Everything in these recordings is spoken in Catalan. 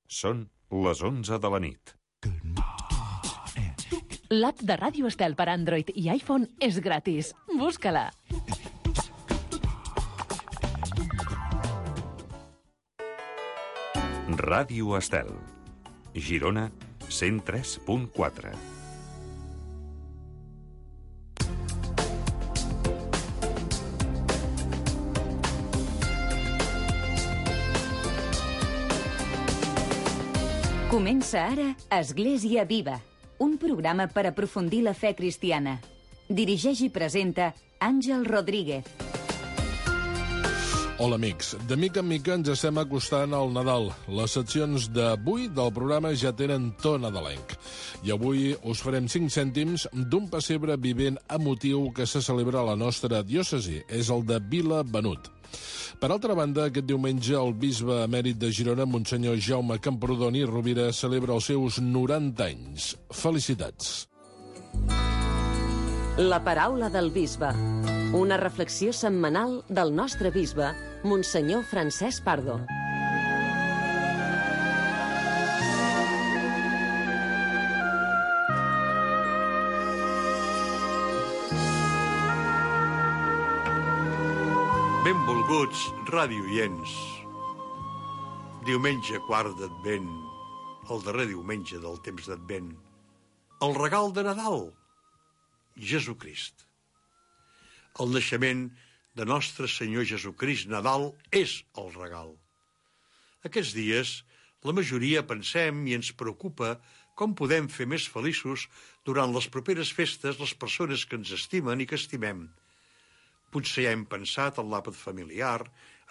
Són les 11 de la nit. L'app de Ràdio Estel per Android i iPhone és gratis. Busca-la. Ràdio Estel. Girona 103.4. Comença ara Església Viva, un programa per aprofundir la fe cristiana. Dirigeix i presenta Àngel Rodríguez. Hola, amics. De mica en mica ens estem acostant al Nadal. Les seccions d'avui del programa ja tenen to nadalenc. I avui us farem 5 cèntims d'un pessebre vivent emotiu que se celebra a la nostra diòcesi. És el de Vilabenut. Per altra banda, aquest diumenge el bisbe emèrit de Girona, Monsenyor Jaume Camprodoni Rovira, celebra els seus 90 anys. Felicitats. La paraula del bisbe. Una reflexió setmanal del nostre bisbe, Monsenyor Francesc Pardo. Benvolguts radioients. Diumenge quart d'Advent, el darrer diumenge del temps d'Advent. El regal de Nadal, Jesucrist. El naixement de Nostre Senyor Jesucrist, Nadal, és el regal. Aquests dies, la majoria pensem i ens preocupa com podem fer més feliços durant les properes festes les persones que ens estimen i que estimem. Potser ja hem pensat en l'àpat familiar,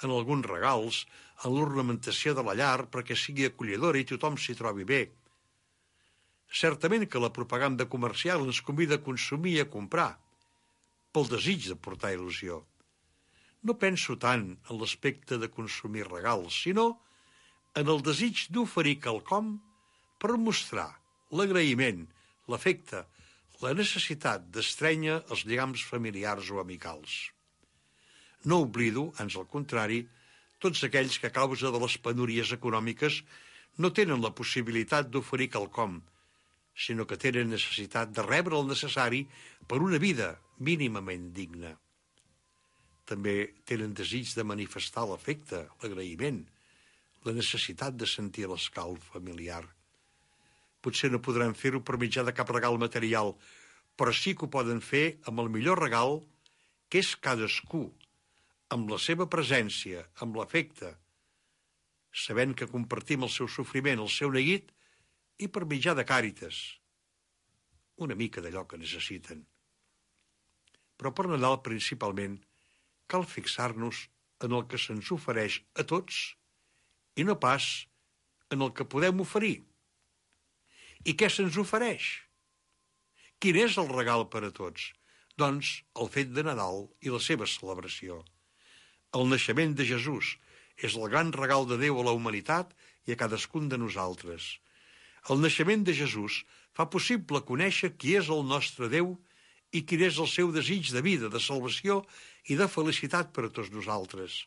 en alguns regals, en l'ornamentació de la llar perquè sigui acollidora i tothom s'hi trobi bé. Certament que la propaganda comercial ens convida a consumir i a comprar, pel desig de portar il·lusió. No penso tant en l'aspecte de consumir regals, sinó en el desig d'oferir quelcom per mostrar l'agraïment, l'afecte, la necessitat d'estrènyer els lligams familiars o amicals. No oblido, ans al contrari, tots aquells que a causa de les penúries econòmiques no tenen la possibilitat d'oferir quelcom, sinó que tenen necessitat de rebre el necessari per una vida mínimament digna. També tenen desig de manifestar l'afecte, l'agraïment, la necessitat de sentir l'escalf familiar. Potser no podran fer-ho per mitjà de cap regal material, però sí que ho poden fer amb el millor regal, que és cadascú, amb la seva presència, amb l'afecte, sabent que compartim el seu sofriment, el seu neguit, i per mitjà de càritas, una mica d'allò que necessiten. Però per Nadal, principalment, cal fixar-nos en el que se'ns ofereix a tots i no pas en el que podem oferir. I què se'ns ofereix? Quin és el regal per a tots? Doncs el fet de Nadal i la seva celebració. El naixement de Jesús és el gran regal de Déu a la humanitat i a cadascun de nosaltres. El naixement de Jesús fa possible conèixer qui és el nostre Déu i quin és el seu desig de vida, de salvació i de felicitat per a tots nosaltres.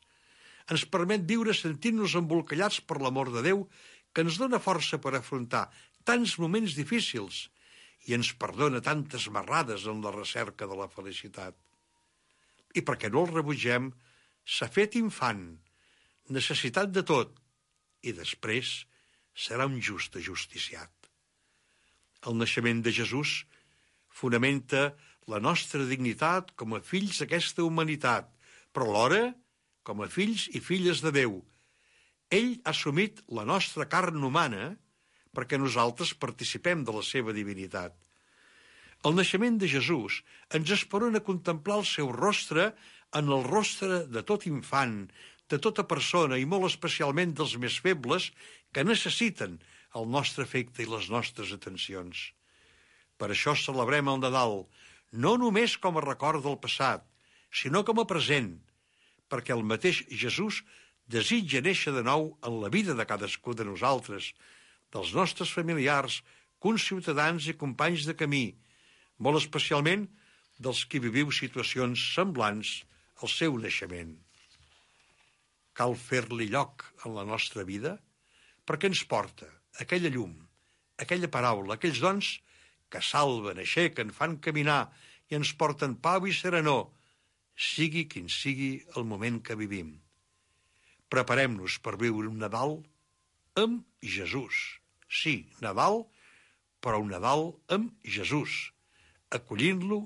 Ens permet viure sentint-nos embolcallats per l'amor de Déu, que ens dona força per afrontar tants moments difícils i ens perdona tantes marrades en la recerca de la felicitat. I perquè no el rebutgem, s'ha fet infant, necessitat de tot, i després serà un just ajusticiat. El naixement de Jesús fonamenta la nostra dignitat com a fills d'aquesta humanitat, però alhora com a fills i filles de Déu. Ell ha assumit la nostra carn humana perquè nosaltres participem de la seva divinitat. El naixement de Jesús ens esperona a contemplar el seu rostre en el rostre de tot infant, de tota persona i molt especialment dels més febles que necessiten el nostre afecte i les nostres atencions. Per això celebrem el Nadal, no només com a record del passat, sinó com a present, perquè el mateix Jesús desitja néixer de nou en la vida de cadascú de nosaltres, dels nostres familiars, conciutadans i companys de camí, molt especialment dels que viviu situacions semblants al seu naixement. Cal fer-li lloc en la nostra vida perquè ens porta aquella llum, aquella paraula, aquells dons que salven, aixequen, fan caminar i ens porten pau i serenor, sigui quin sigui el moment que vivim. Preparem-nos per viure un Nadal amb Jesús. Sí, Nadal, però un Nadal amb Jesús, acollint-lo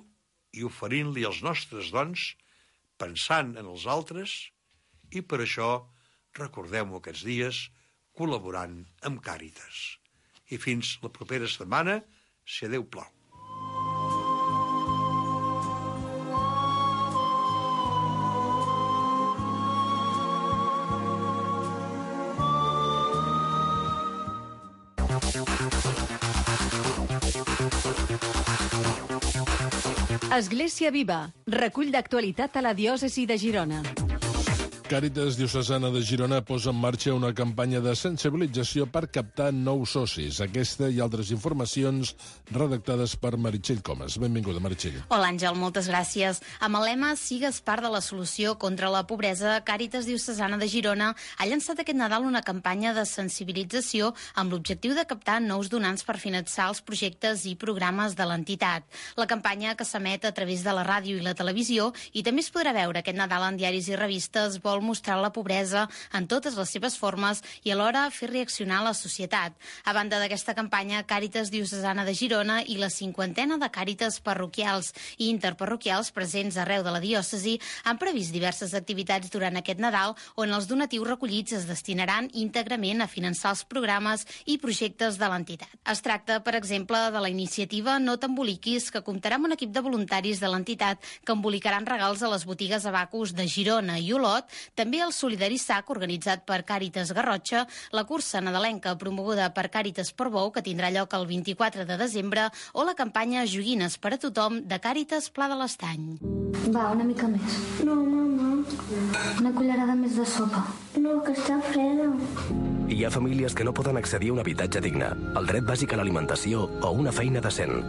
i oferint-li els nostres dons, pensant en els altres, i per això recordem-ho aquests dies col·laborant amb Càritas. I fins la propera setmana, si Déu plau. Església Viva, recull d'actualitat a la diòcesi de Girona. Càritas Diocesana de Girona posa en marxa una campanya de sensibilització per captar nous socis. Aquesta i altres informacions redactades per Meritxell Comas. Benvinguda, Meritxell. Hola, Àngel, moltes gràcies. Amb el lema Sigues part de la solució contra la pobresa, Càritas Diocesana de Girona ha llançat aquest Nadal una campanya de sensibilització amb l'objectiu de captar nous donants per finançar els projectes i programes de l'entitat. La campanya, que s'emet a través de la ràdio i la televisió i també es podrà veure aquest Nadal en diaris i revistes, vol mostrar la pobresa en totes les seves formes i alhora fer reaccionar la societat. A banda d'aquesta campanya, Càritas Diocesana de Girona i la 50ena de càritas parroquials i interparroquials presents arreu de la diòcesi han previst diverses activitats durant aquest Nadal on els donatius recollits es destinaran íntegrament a finançar els programes i projectes de l'entitat. Es tracta, per exemple, de la iniciativa No t'emboliquis, que comptarà amb un equip de voluntaris de l'entitat que embolicaran regals a les botigues Abacus de Girona i Olot, també el Solidari Sac, organitzat per Càritas Garrotxa, la cursa nadalenca promoguda per Càritas Portbou, que tindrà lloc el 24 de desembre, o la campanya Joguines per a tothom de Càritas Pla de l'Estany. Va, una mica més. No, mama. Una cullerada més de sopa. No, que està freda. Hi ha famílies que no poden accedir a un habitatge digne, el dret bàsic a l'alimentació o una feina decent.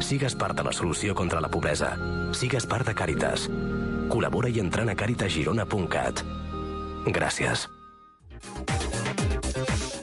Sigues part de la solució contra la pobresa. Sigues part de Càritas. Col·labora i entrant a caritasgirona.cat. Gràcies.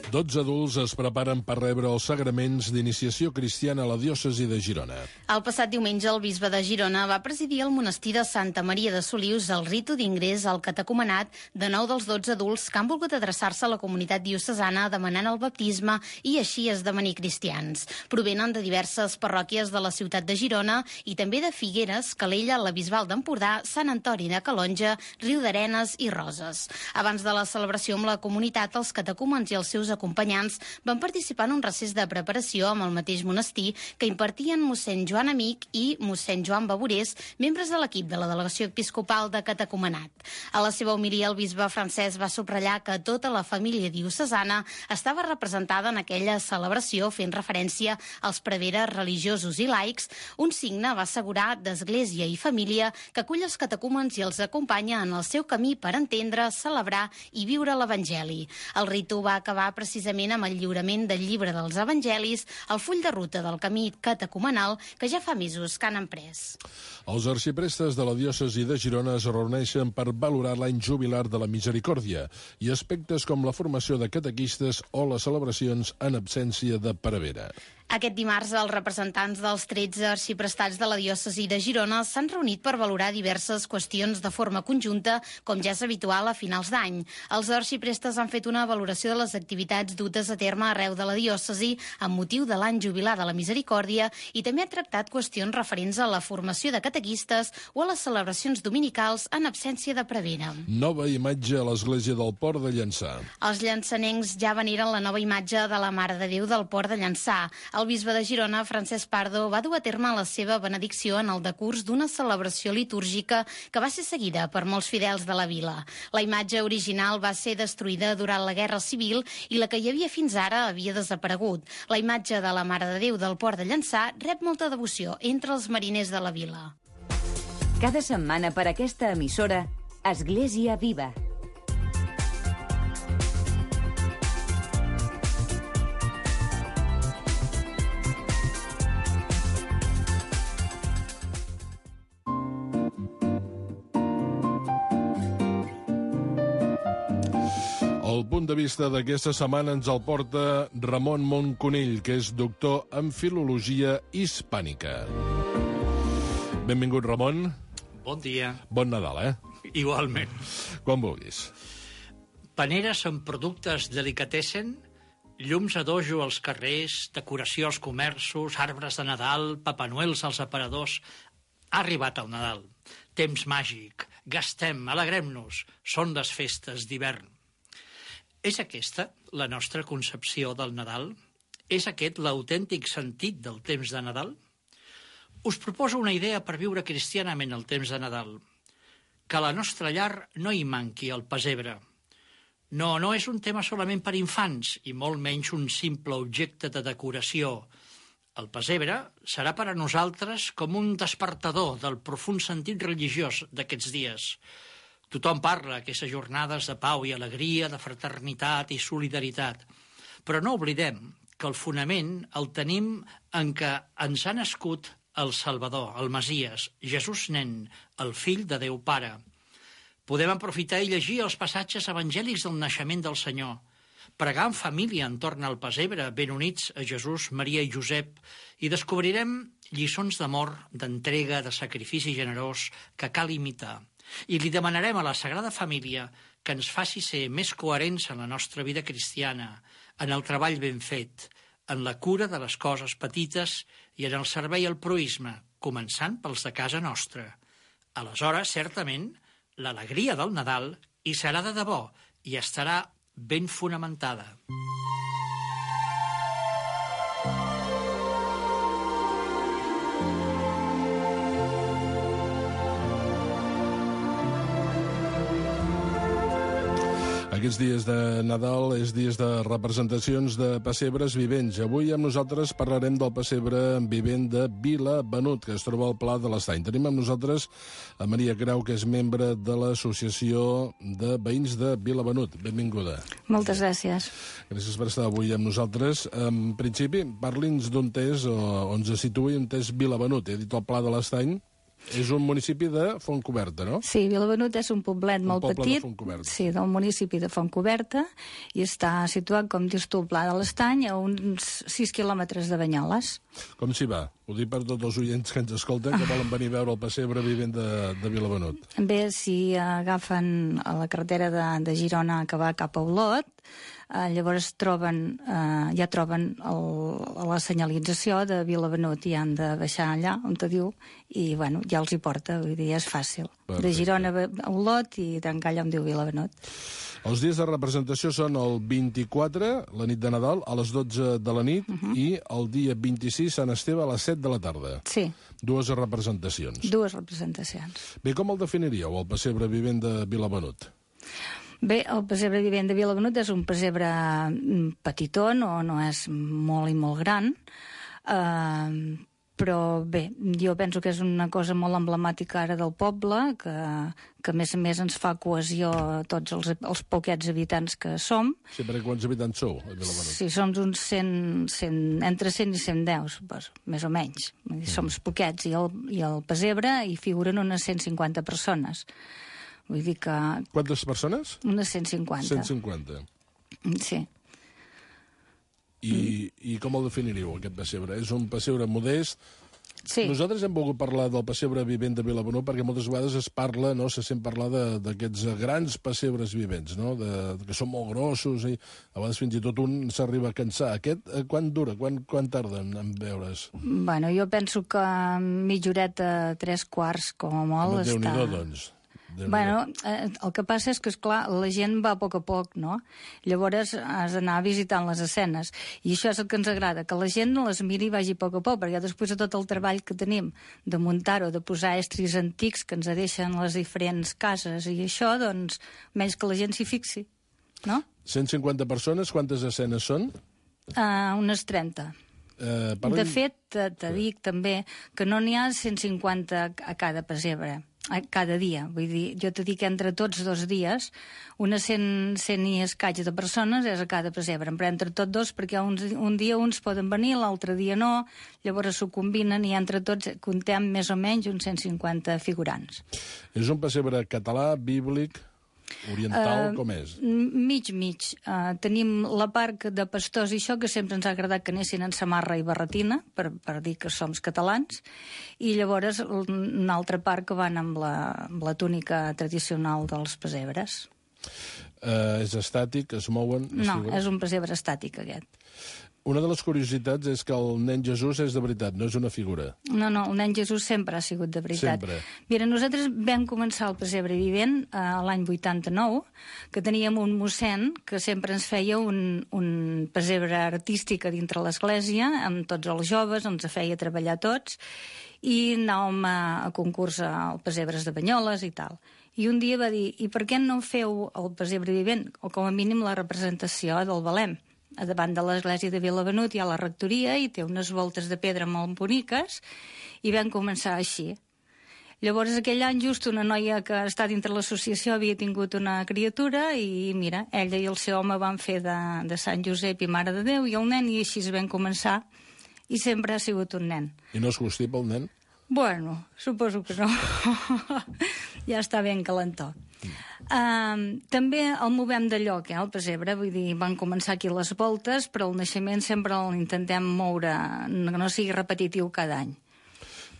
12 adults es preparen per rebre els sagraments d'iniciació cristiana a la diòcesi de Girona. El passat diumenge, el bisbe de Girona va presidir el monestir de Santa Maria de Solius el ritu d'ingrés al catecumenat de 9 dels 12 adults que han volgut adreçar-se a la comunitat diocesana demanant el baptisme i així esdevenir cristians. Provenen de diverses parròquies de la ciutat de Girona i també de Figueres, Calella, la Bisbal d'Empordà, Sant Antoni de Calonja, Riudarenes i Roses. Abans de la celebració amb la comunitat, els catecúmens i els seus acompanyants van participar en un recés de preparació amb el mateix monestir que impartien mossèn Joan Amic i mossèn Joan Bavorés, membres de l'equip de la delegació episcopal de catecumenat. A la seva homilia, el bisbe Francesc va subratllar que tota la família diocesana estava representada en aquella celebració, fent referència als preveres religiosos i laics, un signe, va assegurar, d'església i família que acull els catecúmens i els acompanya en el seu camí per entendre, celebrar i viure l'Evangeli. El ritu va acabar precisament amb el lliurament del llibre dels Evangelis, el full de ruta del camí catecumenal que ja fa mesos que han emprès. Els arxiprestes de la diòcesi de Girona es reuneixen per valorar l'any jubilar de la Misericòrdia i aspectes com la formació de catequistes o les celebracions en absència de prevera. Aquest dimarts, els representants dels 13 arxiprestats de la diòcesi de Girona s'han reunit per valorar diverses qüestions de forma conjunta, com ja és habitual a finals d'any. Els arxiprestes han fet una valoració de les activitats dutes a terme arreu de la diòcesi amb motiu de l'any jubilar de la Misericòrdia i també ha tractat qüestions referents a la formació de catequistes o a les celebracions dominicals en absència de prevera. Nova imatge a l'església del Port de Llançà. Els llançanencs ja veneren la nova imatge de la Mare de Déu del Port de Llançà. El bisbe de Girona, Francesc Pardo, va dur a terme la seva benedicció en el decurs d'una celebració litúrgica que va ser seguida per molts fidels de la vila. La imatge original va ser destruïda durant la Guerra Civil i la que hi havia fins ara havia desaparegut. La imatge de la Mare de Déu del Port de Llançà rep molta devoció entre els mariners de la vila. Cada setmana per aquesta emissora, Església Viva. El punt punt de vista d'aquesta setmana ens el porta Ramon Monconill, que és doctor en Filologia Hispànica. Benvingut, Ramon. Bon dia. Bon Nadal, Igualment. Quan vulguis. Paneres amb productes delicatessen, llums a dojo als carrers, decoració als comerços, arbres de Nadal, papanuels als aparadors. Ha arribat el Nadal. Temps màgic. Gastem, alegrem-nos. Són les festes d'hivern. És aquesta la nostra concepció del Nadal? És aquest l'autèntic sentit del temps de Nadal? Us proposo una idea per viure cristianament el temps de Nadal. Que a la nostra llar no hi manqui el pessebre. No és un tema solament per infants i molt menys un simple objecte de decoració. El pessebre serà per a nosaltres com un despertador del profund sentit religiós d'aquests dies. Tothom parla aquestes jornades de pau i alegria, de fraternitat i solidaritat. Però no oblidem que el fonament el tenim en què ens ha nascut el Salvador, el Messies, Jesús nen, el fill de Déu Pare. Podem aprofitar i llegir els passatges evangèlics del naixement del Senyor, pregar en família entorn al pessebre, ben units a Jesús, Maria i Josep, i descobrirem lliçons d'amor, d'entrega, de sacrifici generós que cal imitar. I li demanarem a la Sagrada Família que ens faci ser més coherents en la nostra vida cristiana, en el treball ben fet, en la cura de les coses petites i en el servei al proïsme, començant pels de casa nostra. Aleshores, certament, l'alegria del Nadal hi serà de debò i estarà ben fonamentada. Aquests dies de Nadal és dies de representacions de pessebres vivents. Avui amb nosaltres parlarem del pessebre vivent de Vilabenut, que es troba al Pla de l'Estany. Tenim amb nosaltres a Maria Grau, que és membre de l'Associació de Veïns de Vilabenut. Benvinguda. Moltes gràcies. Gràcies per estar avui amb nosaltres. En principi, parli'ns d'un test on se situï un test Vilabenut. He dit el Pla de l'Estany. És un municipi de Fontcoberta, no? Sí, Vilabenut és un poblet molt petit, sí, del municipi de Fontcoberta, i està situat, com dius tu, al Pla de l'Estany, a uns 6 quilòmetres de Banyoles. Com s'hi va? Ho dic per tots els oients que ens escolten, que volen venir a veure el pessebre vivent de Vilabenut. Bé, si agafen a la carretera de Girona que va cap a Olot, llavors ja troben la senyalització de Vilabenut i han de baixar allà on te diu i bueno, ja els hi porta, vull dir, és fàcil. Perfecte. De Girona a Olot i tancar allà on diu Vilabenut. Els dies de representació són el 24, la nit de Nadal, a les 12 de la nit, i el dia 26, Sant Esteve, a les 7 de la tarda. Sí. Dues representacions. Dues representacions. Bé, com el definiríeu, el pessebre vivent de Vilabenut? Bé, el pessebre vivent de Vilabenut és un pessebre petitó, no és molt i molt gran, però bé, jo penso que és una cosa molt emblemàtica ara del poble, que a més a més ens fa cohesió a tots els poquets habitants que som. Sí, perquè quants habitants sou a Vilabenut? Sí, som uns 100, entre 100 i 110, suposo, més o menys. Som poquets, i el pessebre hi figuren unes 150 persones. Vull dir que... Quantes persones? Unes 150. 150. Sí. I com el definiríeu, aquest pessebre? És un pessebre modest? Sí. Nosaltres hem volgut parlar del pessebre vivent de Vilabenut perquè moltes vegades es parla, no, se sent parlar d'aquests grans pessebres vivents, no? Que són molt grossos i a vegades fins i tot un s'arriba a cansar. Aquest, quan dura? Quan tarda en veure's? Bueno, jo penso que mitja horeta, 3/4, com a molt, està... Déu-n'hi-do, doncs. Bueno, el que passa és que, esclar, la gent va a poc, no? Llavors has d'anar visitant les escenes. I això és el que ens agrada, que la gent les miri i vagi a poc, perquè després de tot el treball que tenim de muntar-ho, de posar estris antics que ens deixen les diferents cases i això, doncs, menys que la gent s'hi fixi, no? 150 persones, quantes escenes són? Unes 30. De fet, te dic també que no n'hi ha 150 a cada pessebre, cada dia. Vull dir, jo te dic que entre tots 2 dies, unes 100 i escaig de persones és a cada pessebre, però entre tots 2, perquè un dia uns poden venir, l'altre dia no, llavors s'ho combinen i entre tots contem més o menys uns 150 figurants. És un pessebre català, bíblic? Oriental, com és? Mig. Tenim la part de pastors i això, que sempre ens ha agradat que anessin en samarra i barretina, per dir que som catalans, i llavors una altra part que van amb la túnica tradicional dels pessebres. És estàtic, es mouen... No, és un pessebre estàtic, aquest. Una de les curiositats és que el nen Jesús és de veritat, no és una figura. No, el nen Jesús sempre ha sigut de veritat. Sempre. Mira, nosaltres vam començar el pessebre vivent l'any 89, que teníem un mossèn que sempre ens feia un pessebre artístic a dintre l'església, amb tots els joves, ens feia treballar tots, i anàvem a concurs al pessebres de Banyoles i tal. I un dia va dir, i per què no feu el pessebre vivent, o com a mínim la representació del Belém? A davant de l'església de Vilavenut hi ha la rectoria i té unes voltes de pedra molt boniques, i vam començar així. Llavors, aquell any, just una noia que està dintre l'associació havia tingut una criatura i, mira, ella i el seu home van fer de Sant Josep i Mare de Déu i el nen, i així vam començar, i sempre ha sigut un nen. I no es constipa el nen? Bueno, suposo que no. Ja està ben calentó. També el movem de lloc, el pessebre, vull dir, van començar aquí les voltes, però el naixement sempre l'intentem moure, que no sigui repetitiu cada any.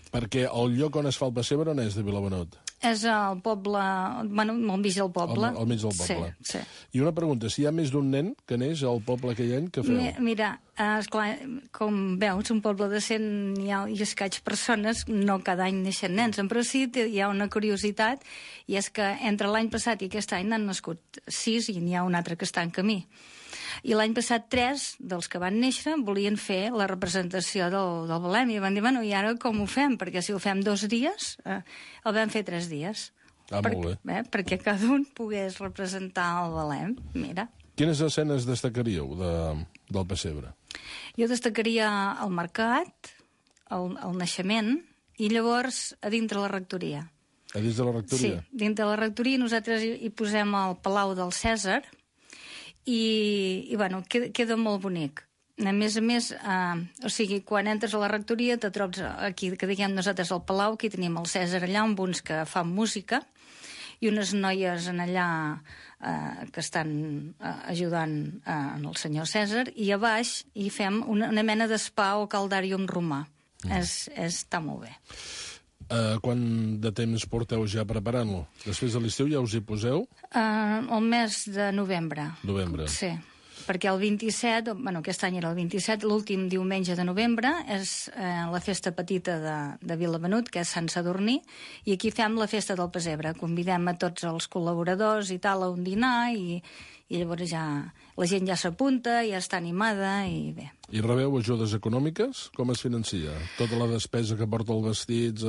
Perquè el lloc on es fa el pessebre on és de Vilavenut? És al poble, bueno, al mig del poble. Al mig del poble. Sí. I una pregunta, si hi ha més d'un nen que neix al poble aquell any, què feu? Mira, esclar, com veus, un poble de 100 i escaig persones, no cada any neixen nens, però sí hi ha una curiositat, i és que entre l'any passat i aquest any n'han nascut 6 i n'hi ha un altre que està en camí. I l'any passat 3 dels que van néixer volien fer la representació del Belém, i van dir, bueno, i ara com ho fem? Perquè si ho fem 2 dies, el vam fer 3 dies. Molt bé. Perquè cada un pogués representar el Belém, mira. Quines escenes destacaríeu del pessebre? Jo destacaria el mercat, el naixement, i llavors a dintre la rectoria. A dins de la rectoria? Sí, dintre la rectoria nosaltres hi posem el Palau del Cèsar, i bueno, queda molt bonic. A més, o sigui, quan entres a la rectoria te trobes aquí, que diguem nosaltres al Palau, aquí tenim el Cèsar allà, amb uns que fan música, i unes noies en allà que estan ajudant en el senyor Cèsar, i a baix hi fem una mena d'espa o caldàrium romà. Està molt bé. Quant de temps porteu ja preparant-lo? Després de l'estiu ja us hi poseu? El mes de novembre. Novembre. Sí, perquè el 27, bueno, aquest any era el 27, l'últim diumenge de novembre, és la festa petita de Vilavenut, que és Sant Sadurní, i aquí fem la festa del pessebre. Convidem a tots els col·laboradors i tal a un dinar, i llavors ja la gent ja s'apunta, ja està animada, i bé. I rebeu ajudes econòmiques? Com es financia? Tota la despesa que porta els vestits?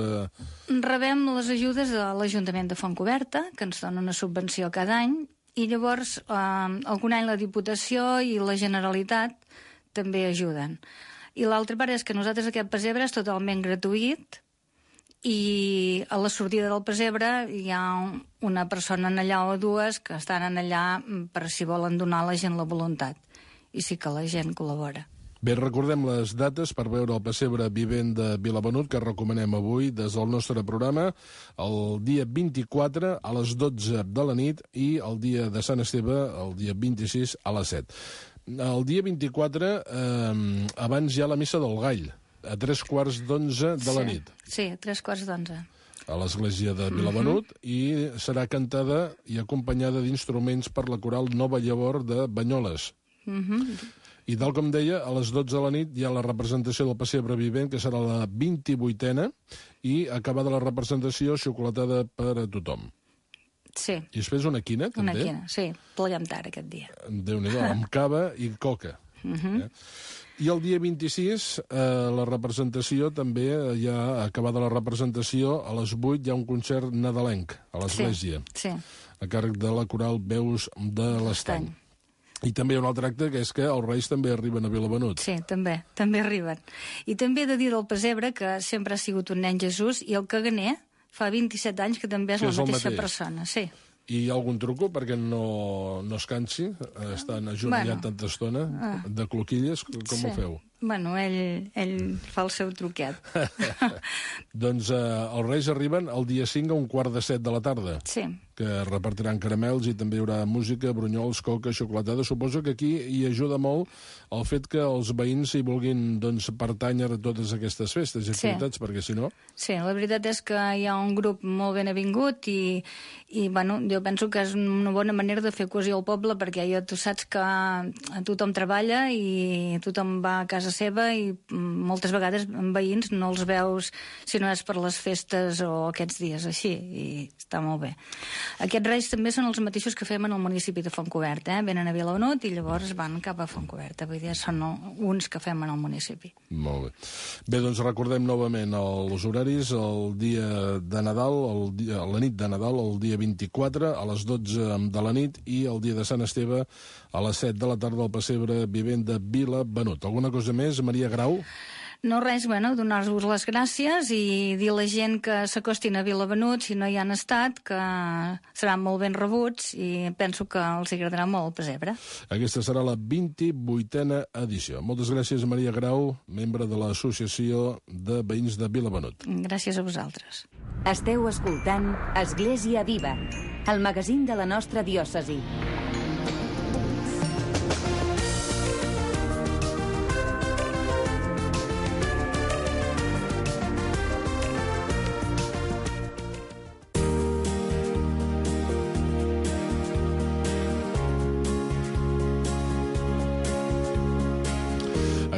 Rebem les ajudes de l'Ajuntament de Fontcoberta, que ens dona una subvenció cada any, i llavors algun any la Diputació i la Generalitat també ajuden. I l'altra part és que nosaltres aquest pessebre és totalment gratuït, i a la sortida del pessebre hi ha una persona allà o dues que estan allà per si volen donar a la gent la voluntat. I sí que la gent col·labora. Bé, recordem les dates per veure el pessebre vivent de Vilavenut, que recomanem avui des del nostre programa, el dia 24 a les 12 de la nit i el dia de Sant Esteve el dia 26 a les 7. El dia 24, abans hi ha la missa del Gall, a 11:45 de la nit. Sí, a 11:45. A l'església de Vilavenut, i serà cantada i acompanyada d'instruments per la coral Nova Llavor de Banyoles. I tal com deia, a les 12 de la nit hi ha la representació del pessebre vivent, que serà la 28a, i acabada la representació, xocolatada per a tothom. Sí. I després una quina, també? Una quina, sí. Pleguem tard aquest dia. Déu-n'hi-do, amb cava i coca. I el dia 26, la representació també, ja acabada la representació, a les 8 hi ha un concert nadalenc a l'església. Sí. A càrrec de la coral Veus de l'Estany. I també hi ha un altre acte, que és que els Reis també arriben a Vilavenut. Sí, també arriben. I també he de dir del pessebre que sempre ha sigut un nen Jesús, i el caganer fa 27 anys que també és la mateixa persona. Sí. I hi ha algun truco perquè no es cansi? Estan ajoellat tanta estona de cloquilles? Com ho feu? Bueno, ell fa el seu truquet. Doncs els Reis arriben el dia 5 a 6:15 de la tarda. Sí. que repartiran caramels i també hi haurà música, brunyols, coca, xocolatada. Suposo que aquí hi ajuda molt el fet que els veïns hi vulguin pertànyer a totes aquestes festes i activitats, perquè si no... Sí, la veritat és que hi ha un grup molt ben avingut i jo penso que és una bona manera de fer cohesió al poble, perquè tu saps que tothom treballa i tothom va a casa seva i moltes vegades veïns no els veus si no és per les festes o aquests dies així, i està molt bé. Aquests reis també són els mateixos que fem en el municipi de Fontcoberta, venen a Vilabenut i llavors van cap a Fontcoberta, vull dir, són uns que fem en el municipi. Molt bé. Bé, doncs recordem novament els horaris, el dia de Nadal, la nit de Nadal, el dia 24, a les 12 de la nit, i el dia de Sant Esteve, a les 7 de la tarda, al pessebre vivent de Vilabenut. Alguna cosa més, Maria Grau? No, res, donar-vos les gràcies i dir a la gent que s'acostin a Vilabenut, si no hi han estat, que seran molt ben rebuts i penso que els agradarà molt el pessebre. Aquesta serà la 28a edició. Moltes gràcies, Maria Grau, membre de l'Associació de Veïns de Vilabenut. Gràcies a vosaltres. Esteu escoltant Església Viva, el magazín de la nostra diòcesi.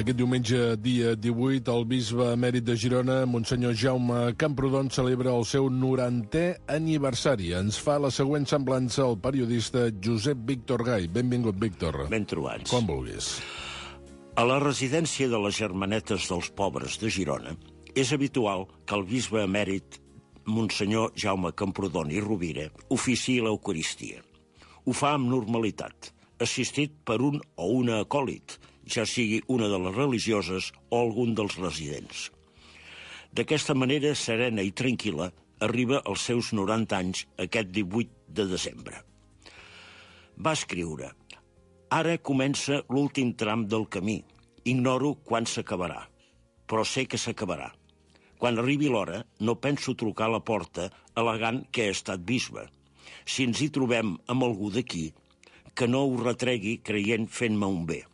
Aquest diumenge, dia 18, el bisbe emèrit de Girona, Monsenyor Jaume Camprodon, celebra el seu 90è aniversari. Ens fa la següent semblança el periodista Josep Víctor Gai. Benvingut, Víctor. Ben trobats. Quan vulguis. A la residència de les Germanetes dels Pobres de Girona és habitual que el bisbe emèrit Monsenyor Jaume Camprodon i Rovira oficiï l'Eucaristia. Ho fa amb normalitat, assistit per un o una acòlit, ja sigui una de les religioses o algun dels residents. D'aquesta manera serena i tranquil·la arriba als seus 90 anys aquest 18 de desembre. Va escriure: «Ara comença l'últim tram del camí. Ignoro quan s'acabarà, però sé que s'acabarà. Quan arribi l'hora, no penso trucar a la porta al·legant que he estat bisbe. Si ens hi trobem amb algú d'aquí, que no ho retregui creient fent-me un bé.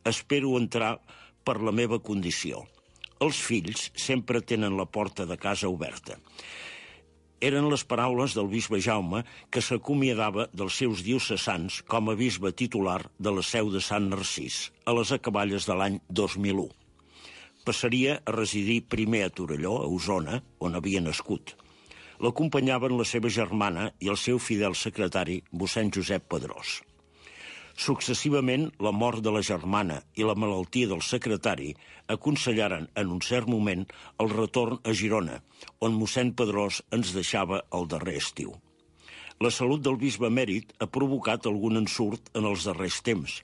Espero entrar per la meva condició. Els fills sempre tenen la porta de casa oberta». Eren les paraules del bisbe Jaume, que s'acomiadava dels seus diocesans com a bisbe titular de la seu de Sant Narcís, a les acaballes de l'any 2001. Passaria a residir primer a Torelló, a Osona, on havia nascut. L'acompanyaven la seva germana i el seu fidel secretari, mossèn Josep Pedrós. Successivament, la mort de la germana i la malaltia del secretari aconsellaren en un cert moment el retorn a Girona, on mossèn Pedrós ens deixava el darrer estiu. La salut del bisbe emèrit ha provocat algun ensurt en els darrers temps.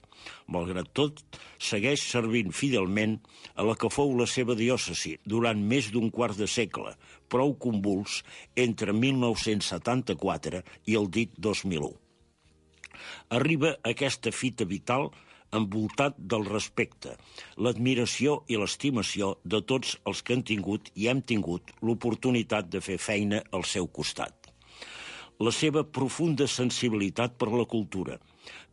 Malgrat tot, segueix servint fidelment a la que fou la seva diòcesi durant més d'un quart de segle, prou convuls entre 1974 i el dit 2001. Arriba aquesta fita vital envoltat del respecte, l'admiració i l'estimació de tots els que han tingut i hem tingut l'oportunitat de fer feina al seu costat. La seva profunda sensibilitat per la cultura,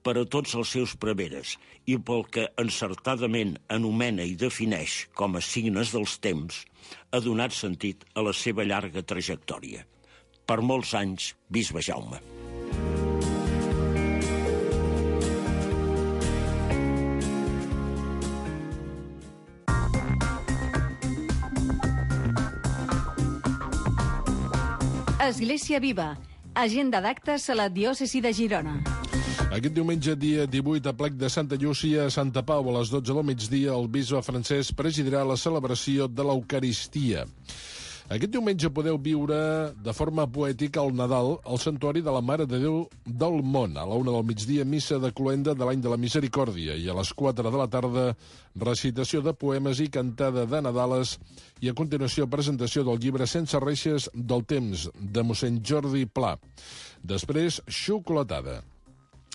per a tots els seus preveres i pel que encertadament anomena i defineix com a signes dels temps, ha donat sentit a la seva llarga trajectòria. Per molts anys, bisbe Jaume. Església Viva, agenda d'actes a la diòcesi de Girona. Aquest diumenge, dia 18, a plec de Santa Llúcia, a Santa Pau, a les 12 del migdia, el bisbe Francesc presidirà la celebració de l'Eucaristia. Aquest diumenge podeu viure de forma poètica el Nadal al Santuari de la Mare de Déu del Món. A la 1 del migdia, missa de cloenda de l'any de la Misericòrdia, i a les 4 de la tarda, recitació de poemes i cantada de Nadales, i a continuació presentació del llibre Sense reixes del temps, de mossèn Jordi Pla. Després, xocolatada.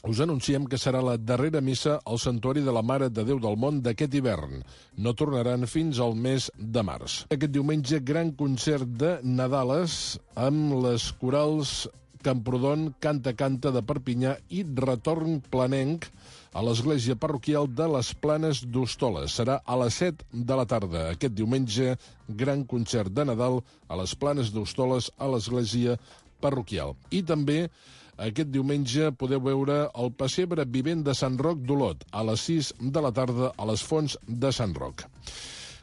Us anunciem que serà la darrera missa al Santuari de la Mare de Déu del Món d'aquest hivern. No tornaran fins al mes de març. Aquest diumenge, gran concert de Nadales amb les corals Camprodon, Canta Canta de Perpinyà i Retorn Planenc a l'església parroquial de les Planes d'Hostoles. Serà a les 7 de la tarda. Aquest diumenge, gran concert de Nadal a les Planes d'Hostoles a l'església parroquial. I també aquest diumenge podeu veure el pessebre vivent de Sant Roc d'Olot a les 6 de la tarda a les Fonts de Sant Roc.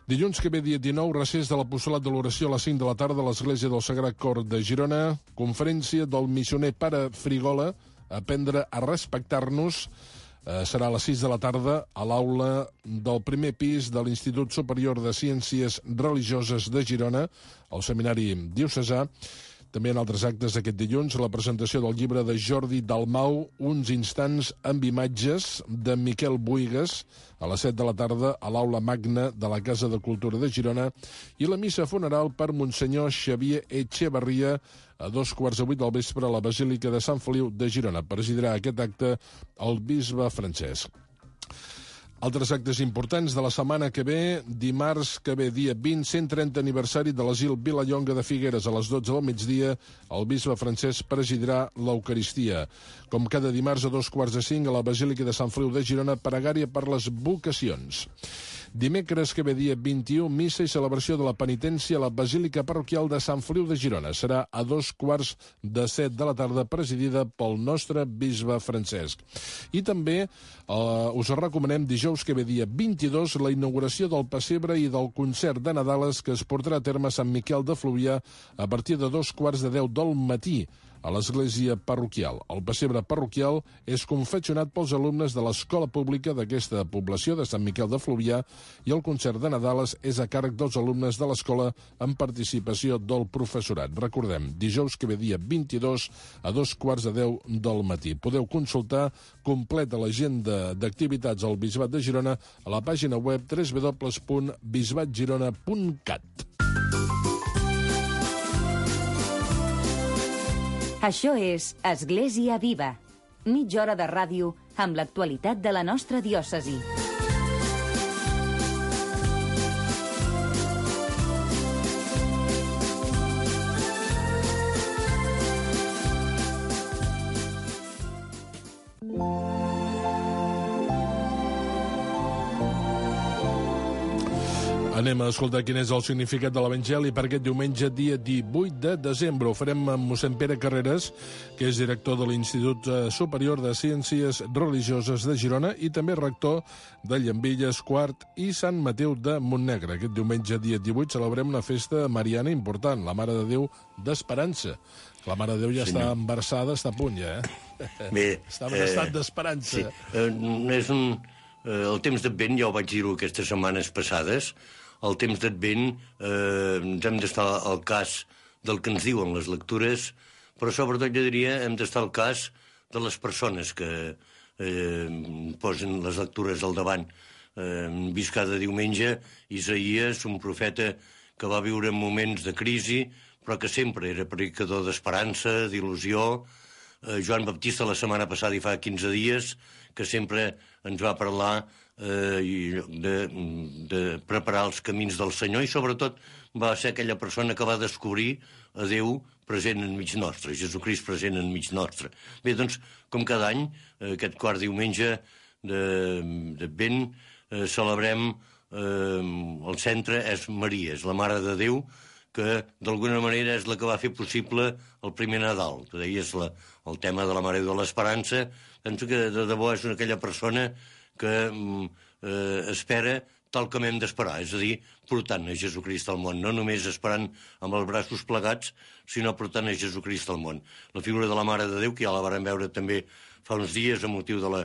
Dilluns que ve, dia 19, recés de l'Apostolat de l'Oració a les 5 de la tarda a l'Església del Sagrat Cor de Girona, conferència del missioner Pare Frigola, Aprendre a respectar-nos, serà a les 6 de la tarda a l'aula del primer pis de l'Institut Superior de Ciències Religioses de Girona, al Seminari Diocesà. També en altres actes d'aquest dilluns, la presentació del llibre de Jordi Dalmau, Uns instants amb imatges, de Miquel Buigas, a les 7 de la tarda a l'Aula Magna de la Casa de Cultura de Girona, i la missa funeral per Monsenyor Xavier Echevarria a 7:15 del vespre a la Basílica de Sant Feliu de Girona. Presidirà aquest acte el bisbe Francesc. Altres actes importants de la setmana que ve, dimarts que ve, dia 20, 130 aniversari de l'asil Vilallonga de Figueres. A les 12 del migdia, el bisbe Francesc presidirà l'Eucaristia. Com cada dimarts a 4:45 a la Basílica de Sant Feliu de Girona, pregària per les vocacions. Dimecres que ve, dia 21, missa i celebració de la penitència a la Basílica Parroquial de Sant Feliu de Girona. Serà a 6:45 de la tarda, presidida pel nostre bisbe Francesc. I també us recomanem dijous que ve, dia 22, la inauguració del pessebre i del concert de Nadales que es portarà a terme a Sant Miquel de Fluvià a partir de 9:45 del matí a l'església parroquial. El pessebre parroquial és confeccionat pels alumnes de l'escola pública d'aquesta població de Sant Miquel de Fluvià i el concert de Nadales és a càrrec dels alumnes de l'escola amb participació del professorat. Recordem, dijous que ve, dia 22 a 9:45 del matí. Podeu consultar completa l'agenda d'activitats al Bisbat de Girona a la pàgina web www.bisbatgirona.cat. Això és Església Viva, mitja hora de ràdio amb l'actualitat de la nostra diòcesi. Anem a escoltar quin és el significat de l'Evangeli per aquest diumenge, dia 18 de desembre. Ho farem amb mossèn Pere Carreras, que és director de l'Institut Superior de Ciències Religioses de Girona i també rector de Llambilles, Quart i Sant Mateu de Montnegre. Aquest diumenge, dia 18, celebrem una festa mariana important, la Mare de Déu d'Esperança. La Mare de Déu ja està embarassada, està a punt ja, Bé, està en estat d'esperança. Sí. El temps d'Advent, ja ho vaig dir-ho aquestes setmanes passades, el temps d'Advent ens hem d'estar al cas del que ens diuen les lectures, però sobretot jo diria hem d'estar al cas de les persones que posen les lectures al davant. Hem vist cada diumenge Isaïes, un profeta que va viure moments de crisi, però que sempre era predicador d'esperança, d'il·lusió. Joan Baptista la setmana passada i fa 15 dies, que sempre ens va parlar de preparar els camins del Senyor i sobretot va ser aquella persona que va descobrir a Déu present enmig nostre, Jesucrist present enmig nostre. Bé, doncs, com cada any, aquest quart diumenge d'Advent celebrem el centre és Maria, és la Mare de Déu, que d'alguna manera és la que va fer possible el primer Nadal. Tu deies el tema de la Mare de l'Esperança. Penso que de debò és aquella persona que espera tal com hem d'esperar, és a dir, portant a Jesucrist al món, no només esperant amb els braços plegats, sinó portant a Jesucrist al món. La figura de la Mare de Déu, que ja la vàrem veure també fa uns dies a motiu de la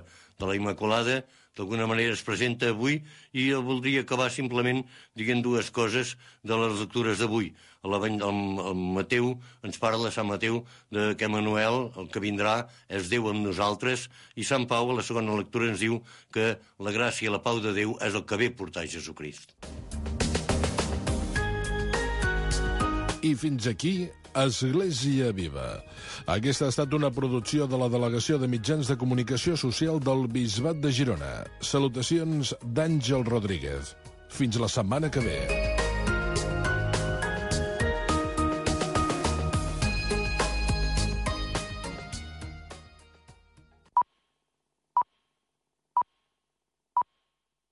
Immaculada, d'alguna manera es presenta avui i jo voldria acabar simplement dient dues coses de les lectures d'avui. El Mateu ens parla, Sant Mateu, que Emmanuel, el que vindrà, és Déu amb nosaltres, i Sant Pau, a la segona lectura, ens diu que la gràcia i la pau de Déu és el que ve portar Jesucrist. I fins aquí Església Viva. Aquesta ha estat una producció de la Delegació de Mitjans de Comunicació Social del Bisbat de Girona. Salutacions d'Àngel Rodríguez. Fins la setmana que ve.